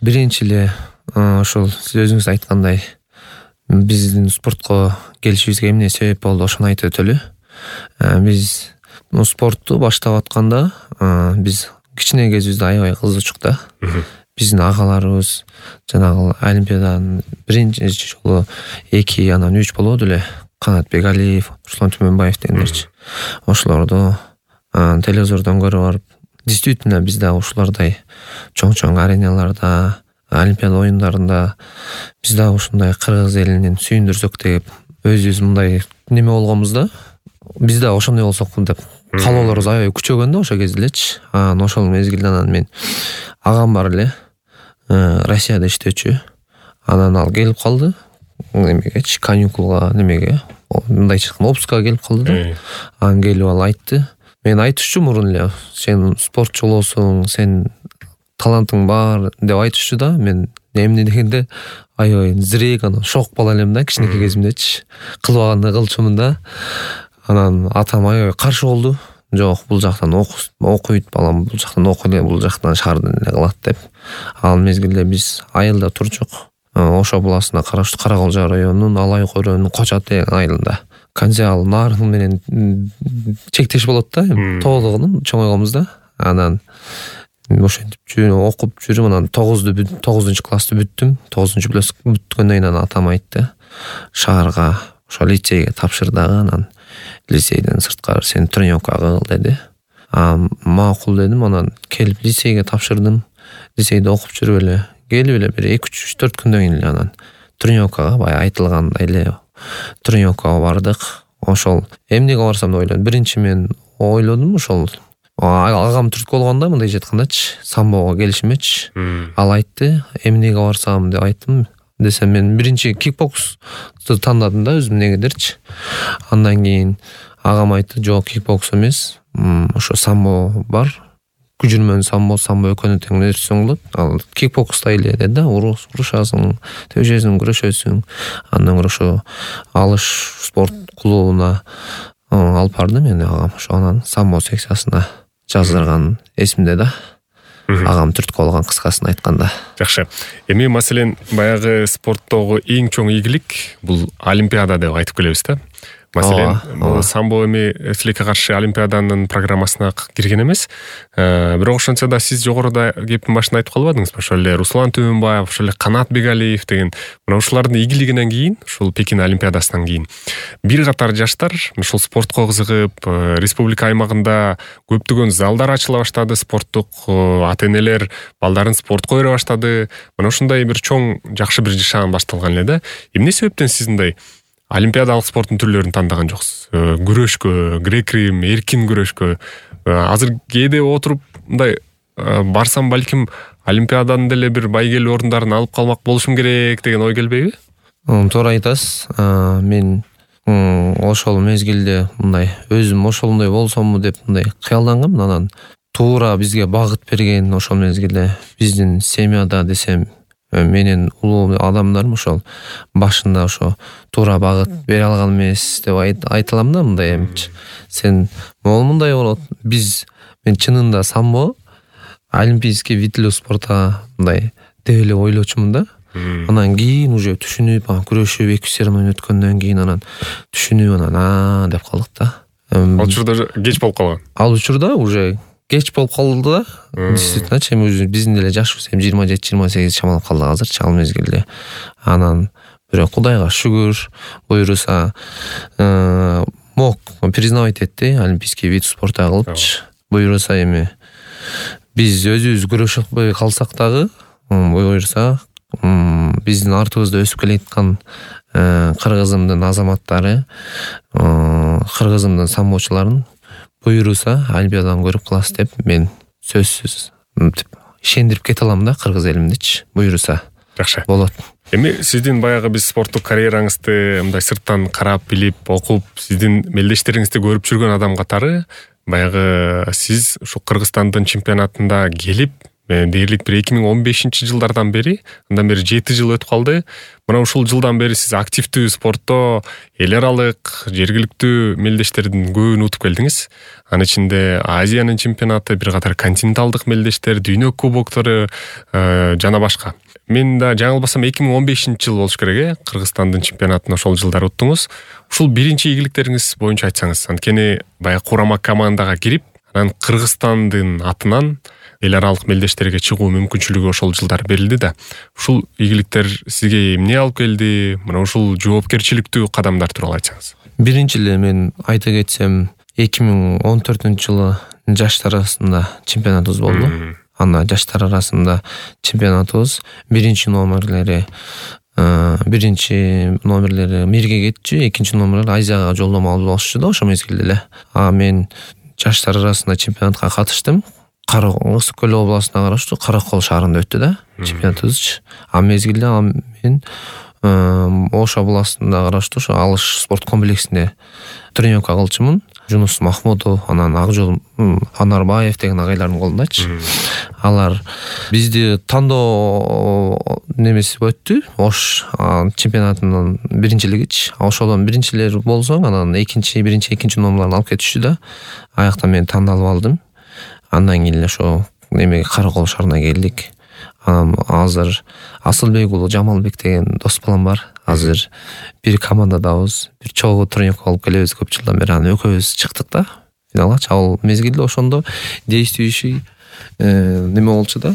Биринчи эле ошол сиз өзүңүз айткандай биздин спортко келишибизге эмне себеп болду ошону айтып өтөлү. Биз спортту баштап атканда биз кичине кезибизде аябай кызычук да. Биздин агаларыбыз жанагы Олимпиаданын биринчи жолу 2, анан 3 болоду эле. Канатбек Алиев, Руслан Түмөнбаев дегендерчи. Ошолорду телевизордон көрүп барып, действительно биз да ушулардай чоң ареналарда, Олимпиада оюндарында биз да ушундай кыргыз элинин сүйүндүрсөк деп өзүбүз мындай неме болгонбуз да. Биз да ошондой болсок деп каалоолорубуз аябай күчөгөн да ошол кезде элечи. Ошол мезгилде анан мен агам бар эле, Россияда иштөөчү. Анан ал келип калды. Немегечи, каникулга, немеге, мындайча айтканда отпускага келип калды да. Анан келип ал айтты. Мен айтышчу мурун эле, сен спортчу болосуң, сен талантың бар деп айтышчу да. Мен эмне дегенде аябай зирээк, анан шок боло элем да кичинекей кезимдечи. Кылбагандай кылчумун да. Анан атам аябай каршы болду. Жок, бул жактан окуйт балам, бул жактан окуй, бул жактан шаардын эле кылат деп. Ал мезгилде биз айылда турчук. Ошо буласына караштуу Караколжа районунун Алай Көрөнүн Кочат деген айылында. Канжал Нарын менен чектеш болот да, тоолугунун чоңойгонбуз да. Анан ошентип окуп жүрүп, анан 9 классты бүттүм. 9 класс бүткөндөн кийин атам айтты, шаарга, ошо лицейге тапшыр дагы, анан лицейден сырткары сен тренировка кыл деди. Макул дедим, анан келип лицейге тапшырдым. Лицейде окуп жүрүп эле келип эле бир 2-3-4 күндөн кийин эле анан тренировкага баягы айтылгандай эле тренировкага бардык. Ошол эмнеге барсам деп ойлодум. Биринчи мен ойлодум ошол агам түрткү болгондо мындайча айткандачы, самбого келишимечи. Ал айтты, эмнеге барсам деп айттым. Десем мен биринчи кикбоксты тандадым да өзүм негедерчи. Андан кийин агам айтты, жок, кикбокс эмес, ошо самбо бар. Күжүрмөн самбо экөөнү тең нерсе болот. Ал кикбокста эле деди да, урушасың, төшөсүң, күрөшөсүң. Андан көрө ошо алыш спорт клубуна алып барды мени агам. Ошо анан самбо секциясына жаздырган эсимде да. Агам түрткү болгон кыскасын айтканда. Жакшы. Эми маселен баягы спорттогу эң чоң ийгилик бул Олимпиада деп айтып келебиз да. Маселен, самбо эми тилекке каршы Олимпиаданын программасына кирген эмес. Бирок ошончо да сиз жогоруда кептин башында айтып калбадыңызбы? Ошол эле Руслан Түмөнбаев, ошол эле Канатбек Алиев деген мына ушулардын ийгилигинен кийин, ушул Пекин Олимпиадасынан кийин бир катар жаштар ушул спортко кызыгып, республика аймагында көптөгөн залдар ачыла баштады, спорттук ата-энелер балдарын спортко үйрөтө баштады. Мына ушундай бир чоң жакшы бир жашаан башталган эле да. Эмне себептен сиз мындай олимпиадалык спорттун түрлөрүн тандаган жоксуз? Күрөшкө, грек-рим, эркин күрөшкө. Азыр кээде отуруп мындай барсам балким олимпиаданын деле бир байгелүү орундарын алып калмак болушум керек деген ой келбейби? Туура айтасыз. Мен ошол мезгилде мындай өзүм ошондой болсомму деп мындай кыялдангам. Анан туура бизге багыт берген ошол мезгилде биздин семьяда десем, менин улуу адамдарым ошол башында ошо туура багыт бере алган эмес деп айталам да, мындай эмчи. Сен могул мындай болот. Мен чынында самбо олимпийский вид спорта мындай деп эле ойлочумун да. Анан кийин уже түшүнүп, күрөшүп 2 серия өткөндөн кийин анан түшүнүп, анан деп калдык да. Ал учурда кеч болуп калган. Ал учурда уже кеч болуп калды да. Действительно, биздин деле жашыбыз 27-28 чамалап калды азырчы ал мезгилде. Анан бирок Кудайга шүгүр, буйруса мог признавать этти олимпийский вид спорта кылыпчы. Буйруса эми биз өзүбүз күрөшөбөй калсак дагы, буйруса биздин артыбызда өсүп келаткан кыргызымдын азаматтары, кыргызымдын самбочуларын буйруса олимпиададан көрүп каласыз деп мен сөзсүз ишендирип кете алам да кыргыз элимдичи. Буйруса жакшы болот. Эми сиздин баягы биз спорттук карьераңызды мындай сырттан карап, билип, окуп, сиздин мелдештериңизди көрүп жүргөн адам катары баягы сиз ушу Кыргызстандын чемпионатында келип дээрлик бир 2015-жылдардан бери, андан бери 7 жыл өтүп калды. Мына ушул жылдан бери сиз активдүү спортто эл аралык, жергиликтүү мелдештердин көбүн утуп келдиңиз. Анын ичинде Азиянын чемпионаты, бир катар континенталдык мелдештер, дүйнө кубоктору жана башка. Мен да жаңылбасам 2015-жыл болуш керек, Кыргызстандын чемпионатын ошол жылдары уттуңуз. Ушул биринчи ийгиликтериңиз боюнча айтсаңыз. Анткени баягы курама командага кирип, анан Кыргызстандын атынан эл аралык мелдештерге чыгуу мүмкүнчүлүгү ошол жылдары берилди да. Ушул ийгиликтер сизге эмне алып келди? Мына ушул жоопкерчиликтүү кадамдар тууралуу айтсаңыз. Биринчи эле мен айта кетсем, 2014-жылы жаштар арасында чемпионатыбыз болду. Анда жаштар арасында чемпионатыбыз биринчи номерлери мирге кетчү, экинчи номерлери Азияга жолдомо алып алышчу да ошол мезгилде эле. Мен жаштар арасында чемпионатка катыштым. Ысык көл областына караштуу Каракол шаарында өттү да чемпионатыбыз. Мезгилде мен Ош областында караштуу ошо Алыш спорт комплексинде тренировка кылчумун. Жунус Махмудов, анан Акжол Анарбаев деген агайлардын колундачы. Алар бизди тандоо немеси өттү. Ош чемпионатынын биринчилигичи. Ошодон биринчилер болсоң, анан экинчи номерлерди алып кетишти да. Аякта мен тандалып алдым. Андан кийин эле ошо немеге Каракол шаарына келдик. Анан азыр Асылбек уулу Жамалбек деген дос балам бар. Азыр бир командадабыз, бир чогуу тренировка алып келебиз көп жылдан бери. Анан экөөбүз чыктык да финалга. Ал мезгилде ошондо действующий неме болчу да,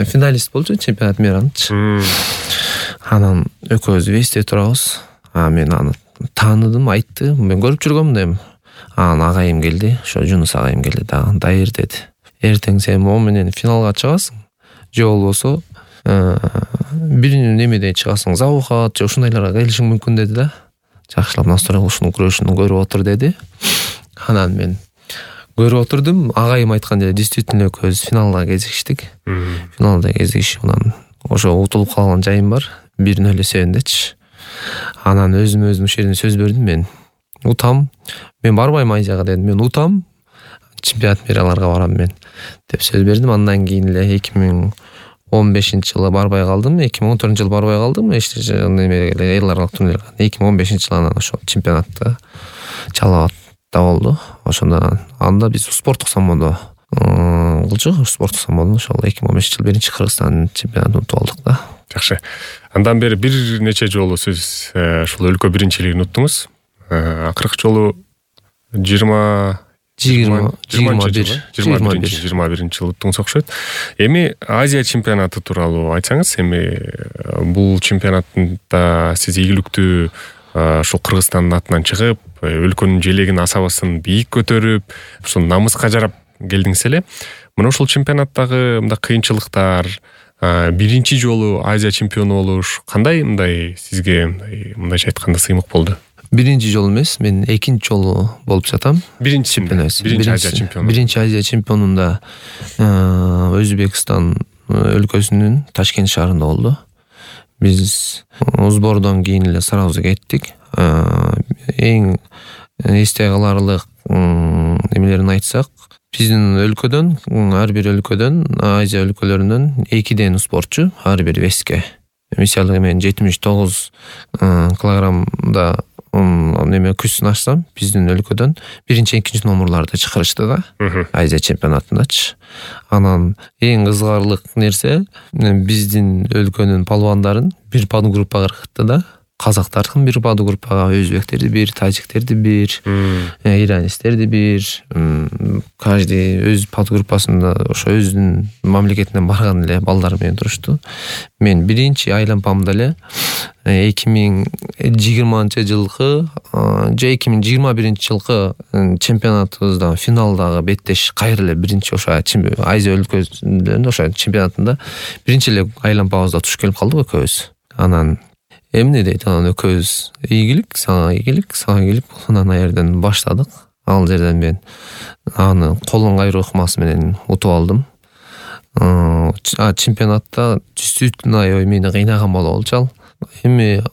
финалист болчу чемпионат миранчы. Анан экөөбүз весте турабыз. Мен аны тааныдым, айтты. Мен көрүп жүргөмүн дем. Анан агайым келди, ошо Жунус агайым келди да, дайыр деди. Эртең сен моу менен финалга чыгасың. Же болбосо бир немеде чыгасың, Заухат же ушундайларга келишиң мүмкүн деди да. Жакшылап настроен ушунун күрөшүн көрүп отур деди. Анан мен көрүп отурдум. Агайым айткан жерде действительно экөөбүз финалда кезиштик. Финалда кезишип анан ошо утулуп калган жайым бар. 1-0 эсебиндечи. Анан өзүм ушул жерден сөз бердим, мен утам. Мен барбайм Азияга дедим. Мен утам. Чемпионат мираларга барам мен деп сөз бердим. Андан кийин эле 2015-жылы барбай калдым. 2014-жылы барбай калдым. Эл аралык турнирге. 2015-жылы анан ошол чемпионатта Чалабатта болду. Ошондон анда биз спорттук самбодо кылчу. Спорттук самбодон ошол 2015-жылы биринчи Кыргызстан чемпионатын утуп алдык да. Жакшы. Андан бери бир нече жолу сиз ушул өлкө биринчилигин уттуңуз. Акыркы жолу 21-жылы уттуңуз окшойт. Эми Азия чемпионаты тууралуу айтсаңыз, эми бул чемпионатта сиз ийгиликтүү ушул Кыргызстандын атынан чыгып, өлкөнүн желегин, асабасын бийик көтөрүп, ушул намыска жарап келдиңиз эле. Мына ушул чемпионаттагы мындай кыйынчылыктар, биринчи жолу Азия чемпиону болуш кандай сизге мындайча айтканда сыймык болду? Биринчи жолу эмес, мен экинчи жолу болуп жатам. Биринчи Азия чемпиону. Биринчи Азия чемпионунда Өзбекстан өлкөсүнүн Ташкент шаарында болду. Биз сбордон кийин эле сразу кеттик. Эң эсте каларлык немелерин айтсак, биздин өлкөдөн, ар бир өлкөдөн, Азия өлкөлөрүнөн 2 спортчу ар бир веске. Мисалы мен 79 килограммда неме күч сынашсам, биздин өлкөдөн биринчи, экинчи номерларды чыгарышты да. Азия чемпионатындачы. Анан эң кызыгарлык нерсе, биздин өлкөнүн палвандарын бир подгруппага кыргытты да. Казактардын бир подгруппага, өзбектерди бир, тажиктерди бир, иранецтерди бир. Каждый өз подгруппасында ошо өзүнүн мамлекетинен барган эле балдар менен турушту. Мен биринчи айланпамда эле 2020 жылкы же 2021-жылкы чемпионатыбызда финалдагы беттеш кайра эле биринчи ошо Азия өлкөсүндө ошо чемпионатында биринчи эле айланпабызда туш келип калдык экөөбүз. Анан эмне дейт, анан экөөбүз ийгилик, сага ийгилик, сага ийгилик. Анан аерден баштадык. Ал жерден мен аны колун кайруу ыкмасы менен утуп алдым. Чемпионатта действительно мени кыйнаган болчу ал. Эми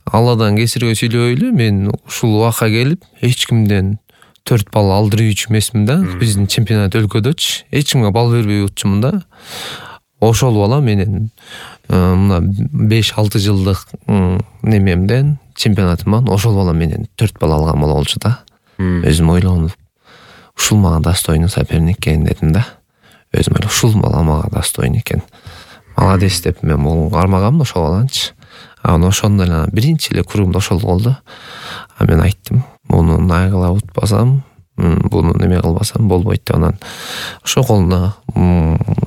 Алладан кесирге сүйлөбөйлү, мен ушул убакка келип эч кимден 4 балл алдырыучу эмесмин да. Биздин чемпионат өлкөдөчү эч кимге балл бербей утчумун да. Ошол бала менен мына 5-6 жылдык немемден чемпионатыман ошол бала менен 4 балл алган болчу да. Өзүм ойлонуп, ушул мага достойный соперник экен дедим да. Өзүм ойлоп, ушул бала мага достойный экен. Молодец деп мен могу кармагам ошол баланчы. Анан ошондо эле биринчи эле кругумда ошол болду. Мен айттым, муну найгыла утпасам, буну неме кылбасам болбойт деп. Анан ошол колуна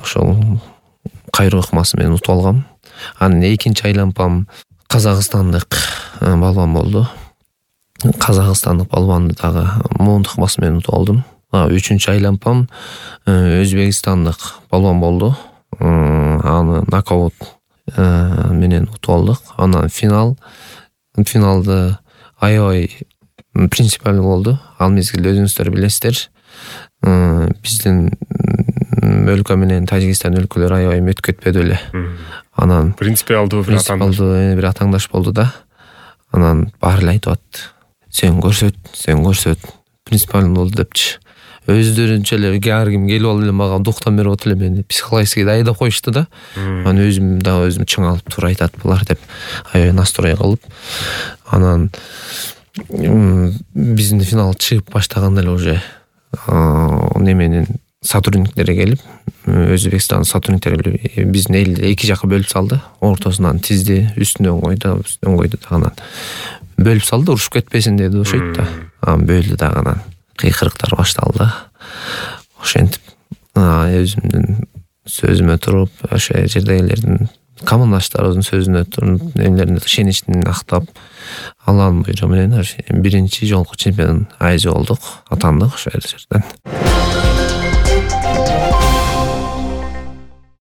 ошол кайроо ыкмасы менен утуп алгам. Анан экинчи айлампам казакстандык балбан болду. Казакстандык балбанды дагы муундук ыкмасы менен утуп алдым. Үчүнчү айлампам өзбекстандык балбан болду. Аны нокаут менен утуп алдык. Анан финалды аябай принципиалдуу болду. Ал мезгилде өзүңүздөр билесиздер, биздин өлкө менен Тажикстан өлкөлөрү аябай өткөтпөдү эле. Анан принципиалдуу бир атаңдаш болду да. Анан баары эле айтып атты. Сен көрсөт, принципиалдуу болду депчи. Өздөрүнчө эле ар ким келип алып эле мага дуктан берип атып эле мени психологически айдап коюшту да. Анан өзүм чың алып туура айтат булар деп аябай настрой кылып. Анан биздин финал чыгып баштаганда эле уже неменин сотрудниктери келип, Өзбекстан сотрудниктери биздин элди эки жакка бөлүп салды. Ортосунан тизди, үстүнөн койду дагы. Бөлүп салды, урушуп кетпесин деди ошойт да. Анан бөлдү дагы, анан кыйкырыктар башталды. Ошентип өзүмдүн сөзүмө туруп, ошо жердегилердин командаштарыбыздын сөзүнө туруп, эмелерине ишеничин актап, Алланын буйругу менен биринчи жолку чемпион айзы болдук, атандык ошол жерден.